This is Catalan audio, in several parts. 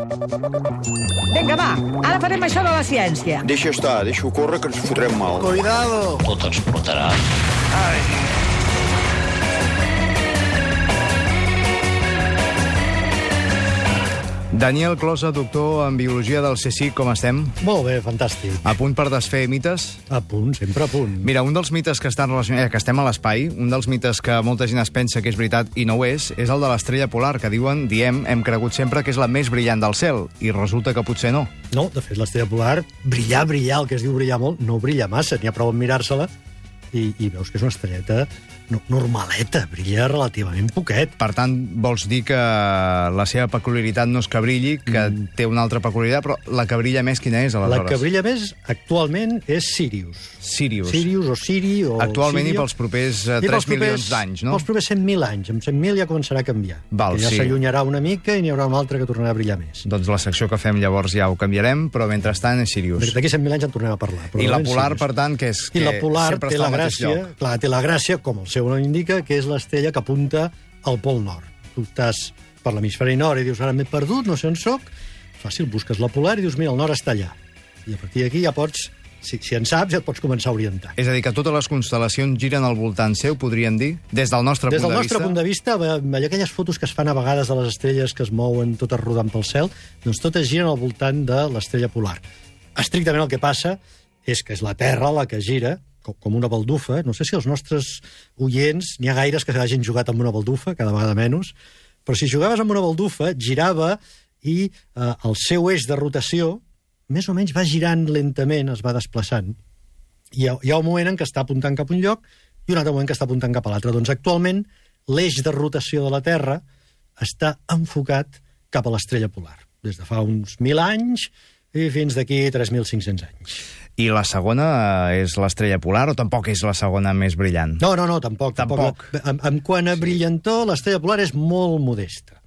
Vinga, va, ara farem això de la ciència. Deixa estar, deixa-ho córrer, que ens fotrem mal. Cuidado! Tot explotarà. Daniel Closa, doctor en Biologia del CSIC, com estem? Molt bé, fantàstic. A punt per desfer mites? A punt, sempre a punt. Mira, un dels mites que estan relacionats, que estem a l'espai, un dels mites que molta gent es pensa que és veritat i no ho és el de l'estrella polar, que hem cregut sempre que és la més brillant del cel, i resulta que potser no. No, de fet, l'estrella polar, brillar, el que es diu brillar molt, no brilla massa, n'hi ha prou en mirar-se-la, i veus que és una estrelleta normaleta, brilla relativament poquet. Per tant, vols dir que la seva peculiaritat no és que brilli, que té una altra peculiaritat, però la que brilla més quina és, aleshores? La que brilla més, actualment, és Sirius. Sirius o Siri, o actualment Sirio. I pels propers 3 milions d'anys, no? Pels propers 100.000 anys. Amb 100.000 ja començarà a canviar. Val, que ja s'allunyarà una mica i n'hi haurà un altre que tornarà a brillar més. Doncs la secció que fem llavors ja ho canviarem, però mentrestant és Sirius. D'aquí 100.000 anys en tornem a parlar. I la polar, per tant, que és que I la polar sempre té està la al mateix gràcia, lloc. clar, té la gràcia, com el seu nom indica, que és l'estrella que apunta al pol nord. Tu estàs per l'hemisferi nord i dius, ara m'he perdut, no sé on soc. Fàcil, busques la polar i dius, mira, el nord està allà. I a partir d'aquí ja pots, si en saps, ja et pots començar a orientar. És a dir, que totes les constel·lacions giren al voltant seu, podríem dir? Des del nostre punt de vista? Des del nostre punt de vista, allà aquelles fotos que es fan a vegades de les estrelles que es mouen totes rodant pel cel, doncs totes giren al voltant de l'estrella polar. Estrictament el que passa és que és la Terra la que gira, com una baldufa. No sé si els nostres oients, n'hi ha gaires que hagin jugat amb una baldufa, cada vegada menys, però si jugaves amb una baldufa, girava i el seu eix de rotació més o menys va girant lentament, es va desplaçant. Hi ha un moment en què està apuntant cap a un lloc i un altre moment que està apuntant cap a l'altre. Doncs actualment l'eix de rotació de la Terra està enfocat cap a l'estrella polar, des de fa uns 1.000 anys i fins d'aquí 3.500 anys. I la segona és l'estrella polar o tampoc és la segona més brillant? No, tampoc. En quant a brillantor, l'estrella polar és molt modesta.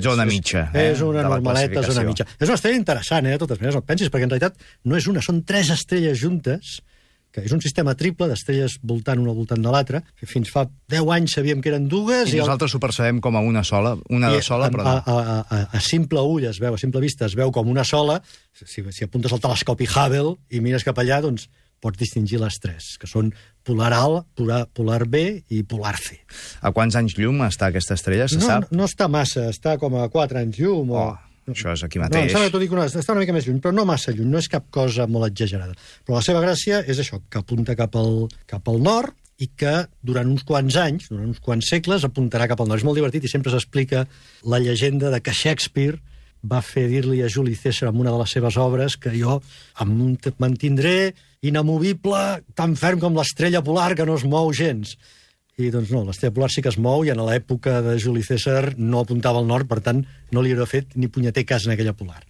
Zona mitja. És una normaleta zona mitja. És una estrella interessant, de totes maneres, no et pensis, perquè en realitat no és una, són 3 estrelles juntes, que és un sistema triple d'estrelles voltant una al voltant de l'altra. Fins fa 10 anys sabíem que eren dues. I nosaltres ho percebem com a una sola, de sola, però no. A simple ull es veu, a simple vista es veu com una sola. Si apuntes al telescopi Hubble i mires cap allà, doncs pots distingir les 3, que són polar A, polar B i polar C. A quants anys llum està aquesta estrella, se sap? No està massa, està com a 4 anys llum. Això és aquí mateix. No, t'ho dic està una mica més lluny, però no massa lluny, no és cap cosa molt exagerada. Però la seva gràcia és això, que apunta cap al nord i que durant uns quants anys, durant uns quants segles, apuntarà cap al nord. És molt divertit i sempre s'explica la llegenda de que Shakespeare va fer dir-li a Juli César en una de les seves obres que jo em mantindré inamovible, tan ferm com l'estrella polar que no es mou gens. I doncs no, l'estrella polar sí que es mou i en l'època de Juli César no apuntava al nord, per tant no li hauria fet ni punyeter cas en aquella polar.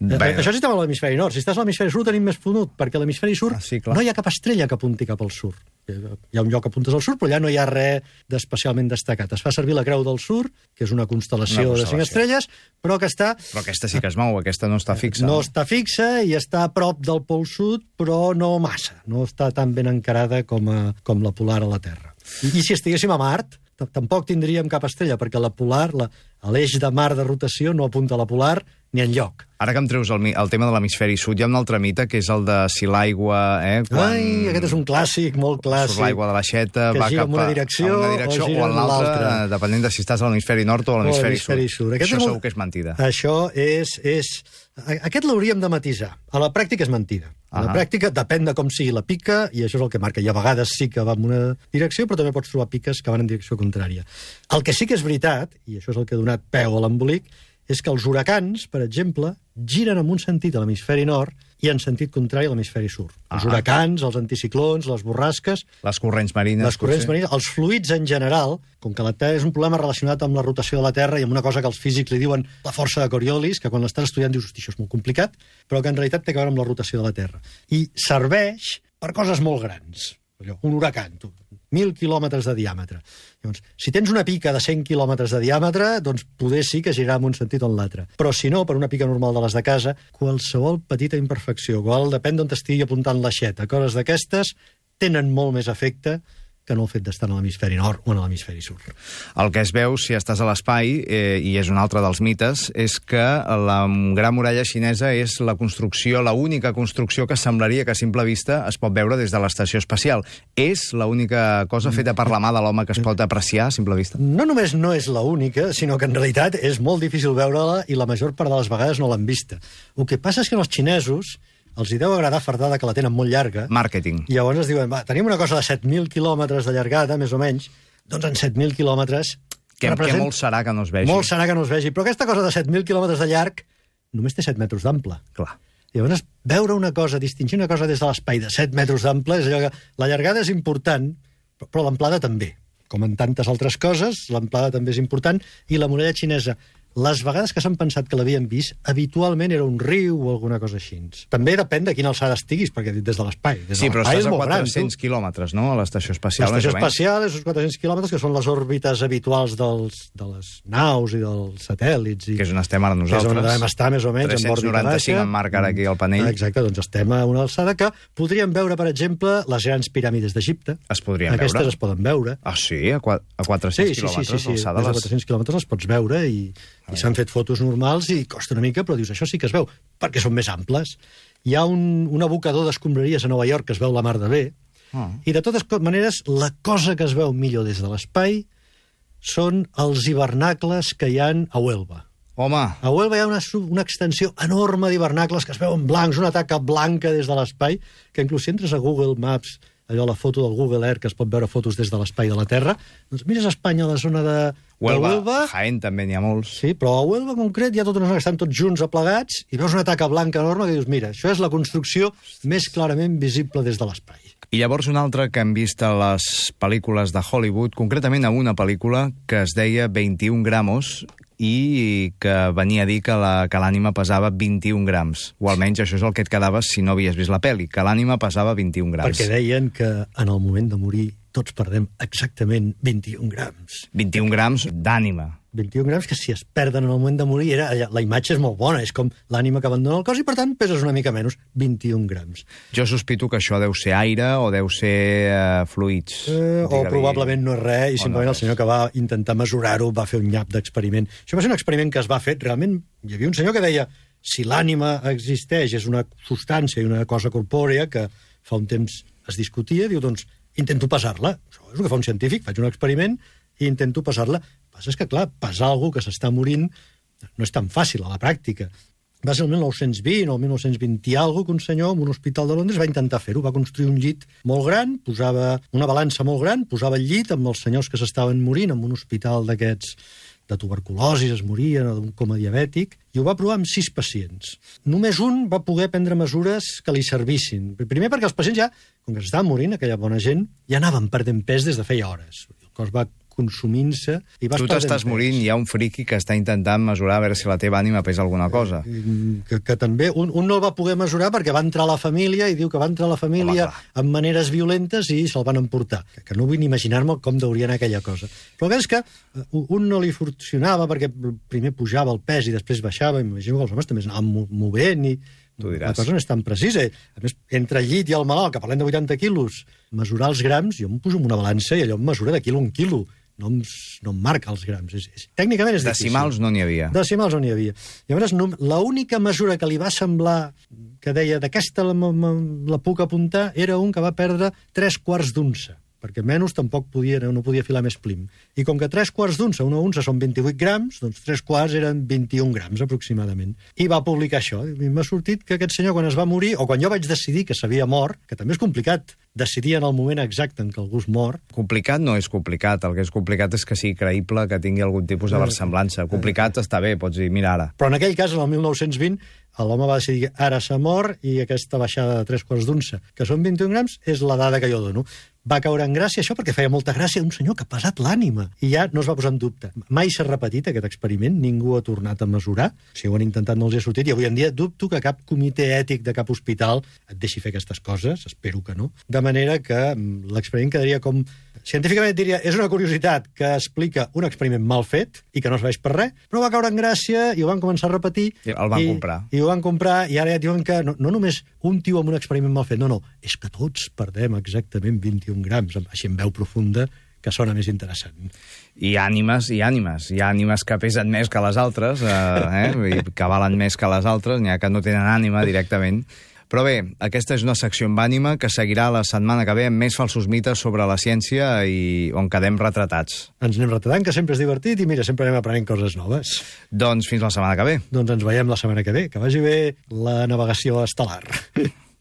Això sí estava a l'hemisferi nord. Si estàs a l'hemisferi sud tenim més punut, perquè a l'hemisferi sud no hi ha cap estrella que apunti cap al sud. Hi ha un lloc que apuntes al sud, però allà no hi ha res d'especialment destacat. Es fa servir la Creu del Sud, que és una constel·lació de 5 estrelles, però que està... Però aquesta sí que es mou, aquesta no està fixa. No està fixa i està a prop del pol sud, però no massa. No està tan ben encarada com la polar a la Terra. I si estiguéssim a Mart, tampoc tindríem cap estrella, perquè la polar, l'eix de mar de rotació no apunta a la polar ni enlloc. Ara que em treus el tema de l'hemisferi sud, hi ha un altre mite, que és el de si l'aigua... Ai, aquest és un clàssic, molt clàssic. Surt l'aigua de l'aixeta, va cap en una direcció o en l'altra, depenent de si estàs a l'hemisferi nord o a l'hemisferi sud. Això segur que és mentida. Això és... Aquest l'hauríem de matisar. A la pràctica és mentida. A la pràctica depèn de com sigui la pica, i això és el que marca. I a vegades sí que va en una direcció, però també pots trobar piques que van en direcció contrària. El que sí que és veritat, i això és el que ha donat peu a l'embolic, és que els huracans, per exemple, giren en un sentit a l'hemisferi nord i en sentit contrari a l'hemisferi sud. Els huracans, els anticiclons, les borrasques... Les corrents marines. Els fluids en general, com que la Terra és un problema relacionat amb la rotació de la Terra i amb una cosa que els físics li diuen la força de Coriolis, que quan l'estàs estudiant dius, hosti, això és molt complicat, però que en realitat té a veure amb la rotació de la Terra. I serveix per coses molt grans. Un huracan, 1.000 quilòmetres de diàmetre. Llavors, si tens una pica de 100 quilòmetres de diàmetre, doncs poder sí que girarà en un sentit o en l'altre. Però si no, per una pica normal de les de casa, qualsevol petita imperfecció, depèn d'on t'estigui apuntant l'aixeta, coses d'aquestes tenen molt més efecte que no el fet d'estar en l'hemisferi nord o en l'hemisferi sud. El que es veu, si estàs a l'espai, i és un altre dels mites, és que la Gran Muralla Xinesa és la construcció, l'única construcció que semblaria que a simple vista es pot veure des de l'estació espacial. És l'única cosa feta per la mà de l'home que es pot apreciar a simple vista? No només no és l'única, sinó que en realitat és molt difícil veure-la i la major part de les vegades no l'han vista. El que passa és que als xinesos els hi deu agradar fardada que la tenen molt llarga. Màrqueting. I llavors es diuen, va, tenim una cosa de 7.000 quilòmetres de llargada, més o menys, doncs en 7.000 quilòmetres... Que molt serà que no es vegi. Molt serà que no es vegi, però aquesta cosa de 7.000 quilòmetres de llarg només té 7 metres d'ample. Clar. I llavors veure una cosa, distingir una cosa des de l'espai de 7 metres d'ample, és allò que la llargada és important, però l'amplada també. Com en tantes altres coses, l'amplada també és important, i la muralla xinesa, les vegades que s'han pensat que l'havien vist, habitualment era un riu o alguna cosa així. També depèn de quina alçada estiguis, perquè des de l'espai. Sí, però estàs a 400 quilòmetres, no?, a l'estació espacial. L'estació espacial és uns 400 quilòmetres, que són les òrbites habituals de les naus i dels satèl·lits. Que és on estem ara nosaltres. Que és on devem estar, més o menys, en òrbita baixa. 395 en marca ara aquí al panell. Exacte, doncs estem a una alçada que podríem veure, per exemple, les grans piràmides d'Egipte. Es podrien veure? Aquestes es poden veure. Ah, sí? A 400 quilòmetres d'alçada? Sí, a 400 quilòmetres les pots veure i s'han fet fotos normals i costa una mica, però dius, això sí que es veu, perquè són més amples. Hi ha un abocador d'escombraries a Nova York que es veu la mar de bé, i de totes maneres, la cosa que es veu millor des de l'espai són els hivernacles que hi ha a Huelva. Home! A Huelva hi ha una extensió enorme d'hivernacles que es veuen blancs, una taca blanca des de l'espai, que inclús si entres a Google Maps, allò, la foto del Google Earth, que es pot veure fotos des de l'espai de la Terra, doncs mires a Espanya, a la zona de Huelva... Jaén també n'hi ha molts. Sí, però a Huelva en concret hi ha tota una zona que estan tots junts aplegats i veus una taca blanca enorme que dius, mira, això és la construcció més clarament visible des de l'espai. I llavors un altre que hem vist a les pel·lícules de Hollywood, concretament a una pel·lícula que es deia 21 gramos, i que venia a dir que l'ànima pesava 21 grams. O almenys això és el que et quedaves si no havies vist la pel·li, que l'ànima pesava 21 grams. Perquè deien que en el moment de morir tots perdem exactament 21 grams. 21 grams d'ànima. 21 grams que si es perden en el moment de morir, la imatge és molt bona, és com l'ànima que abandona el cos i per tant peses una mica menys, 21 grams. Jo sospito que això deu ser aire o deu ser fluids. O probablement no és res i simplement el senyor que va intentar mesurar-ho va fer un nyap d'experiment. Això va ser un experiment que es va fer, realment hi havia un senyor que deia si l'ànima existeix, és una substància i una cosa corpòrea que fa un temps es discutia, diu, doncs intento pesar-la. Això és el que fa un científic, faig un experiment i intento pesar-la. El que passa és que, clar, pesar algú que s'està morint no és tan fàcil a la pràctica. Va ser el 1920 o el 1920 i alguna que un senyor en un hospital de Londres va intentar fer-ho. Va construir un llit molt gran, posava una balança molt gran, posava el llit amb els senyors que s'estaven morint en un hospital d'aquests de tuberculosi, es morien, o d'un coma diabètic, i ho va provar amb 6 pacients. Només un va poder prendre mesures que li servissin. Primer perquè els pacients ja, com que s'estaven morint, aquella bona gent, ja anaven perdent pes des de feia hores. El cos va consumint-se i vas perdent pes. Tu t'estàs morint, hi ha un friqui que està intentant mesurar a veure si la teva ànima pesa alguna cosa. Que també, un no el va poder mesurar perquè va entrar a la família i diu que va entrar a la família amb maneres violentes i se'l van emportar. Que no vull ni imaginar-me com deuria anar aquella cosa. Però el que és que un no li funcionava perquè primer pujava el pes i després baixava, imagino que els homes també es anaven movent i la cosa no és tan precisa. A més, entre el llit i el malalt, que parlem de 80 quilos, mesurar els grams, jo em poso en una balança i allò em mesura de quilo a un quilo. No em marca els grams. Tècnicament és difícil. Decimals no n'hi havia. Decimals no n'hi havia. Llavors, l'única mesura que li va semblar que deia d'aquesta la puc apuntar era un que va perdre 3/4 d'unça, perquè menys tampoc no podia filar més plim. I com que 3/4 d'unça, una unça són 28 grams, doncs 3/4 eren 21 grams aproximadament. I va publicar això. I m'ha sortit que aquest senyor, quan es va morir, o quan jo vaig decidir que s'havia mort, que també és complicat decidir en el moment exacte en què algú es mor... Complicat no és complicat. El que és complicat és que sigui creïble, que tingui algun tipus de versemblança. Complicat està bé, pots dir, mira ara. Però en aquell cas, en el 1920, l'home va decidir que ara s'ha mort i aquesta baixada de 3/4 d'unça, que són 21 grams, és la dada que jo dono. Va caure en gràcia això perquè feia molta gràcia un senyor que ha pesat l'ànima. I ja no es va posar en dubte. Mai s'ha repetit aquest experiment, ningú ha tornat a mesurar. Si ho han intentat no els hi ha sortit, i avui en dia dubto que cap comitè ètic de cap hospital et deixi fer aquestes coses, espero que no. De de manera que l'experiment quedaria com... Científicament diria, és una curiositat que explica un experiment mal fet i que no serveix per res, però va caure en gràcia i ho van començar a repetir. I el van comprar. I ho van comprar, i ara ja diuen que no només un tio amb un experiment mal fet, no, és que tots perdem exactament 21 grams, així en veu profunda, que sona més interessant. I ànimes i ànimes. Hi ha ànimes que pesen més que les altres, que valen més que les altres, n'hi ha que no tenen ànima directament. Però bé, aquesta és una secció amb ànima que seguirà la setmana que ve amb més falsos mites sobre la ciència i on quedem retratats. Ens anem retratant, que sempre és divertit, i mira, sempre anem aprenent coses noves. Doncs fins la setmana que ve. Doncs ens veiem la setmana que ve. Que vagi bé la navegació estel·lar.